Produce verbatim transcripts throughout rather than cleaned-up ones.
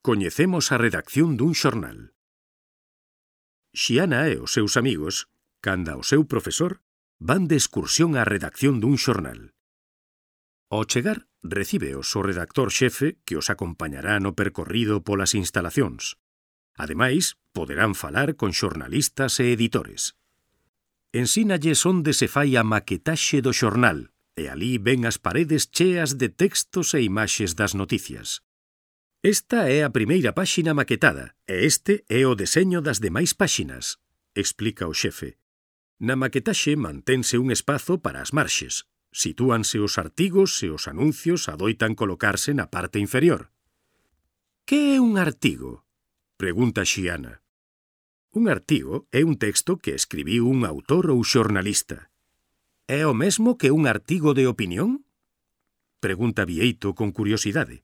Coñecemos a redacción dun xornal. Xiana e os seus amigos, canda o seu profesor, van de excursión á redacción dun xornal. Ao chegar, recíbeos o redactor xefe que os acompañará no percorrido polas instalacións. Ademais, poderán falar con xornalistas e editores. Ensínalles onde se fai a maquetaxe do xornal, e alí ven as paredes cheas de textos e imaxes das noticias. Esta é a primeira páxina maquetada, e este é o deseño das demais páxinas, explica o xefe. Na maquetaxe mantense un espazo para as marxes. Sitúanse os artigos e os anuncios adoitan colocarse na parte inferior. Que é un artigo? Pregunta Xiana. Un artigo é un texto que escribiu un autor ou xornalista. É o mesmo que un artigo de opinión? Pregunta Bieito con curiosidade.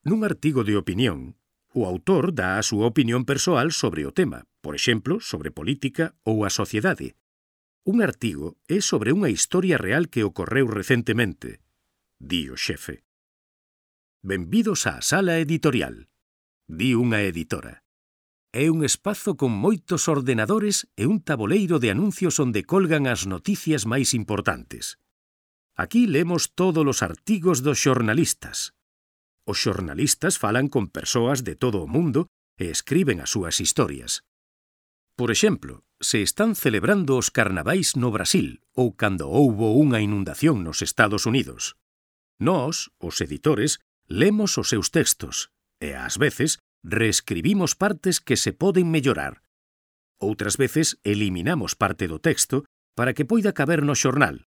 Nun artigo de opinión, o autor dá a súa opinión persoal sobre o tema, por exemplo, sobre política ou a sociedade. Un artigo é sobre unha historia real que ocorreu recentemente, di o xefe. Benvidos á sala editorial, di unha editora. É un espazo con moitos ordenadores e un taboleiro de anuncios onde colgan as noticias máis importantes. Aquí lemos todos os artigos dos xornalistas. Os xornalistas falan con persoas de todo o mundo e escriben as súas historias. Por exemplo, se están celebrando os carnavais no Brasil ou cando houbo unha inundación nos Estados Unidos. Nós, os editores, lemos os seus textos e, ás veces, reescribimos partes que se poden mellorar. Outras veces, eliminamos parte do texto para que poida caber no xornal.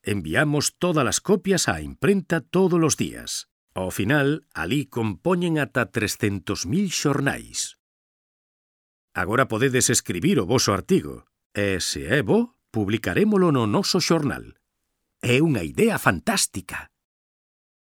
Enviamos todas as copias á imprenta todos os días. Ao final, alí compoñen ata trescentos mil xornais. Agora podedes escribir o voso artigo, e, se é bo, publicarémolo no noso xornal. É unha idea fantástica.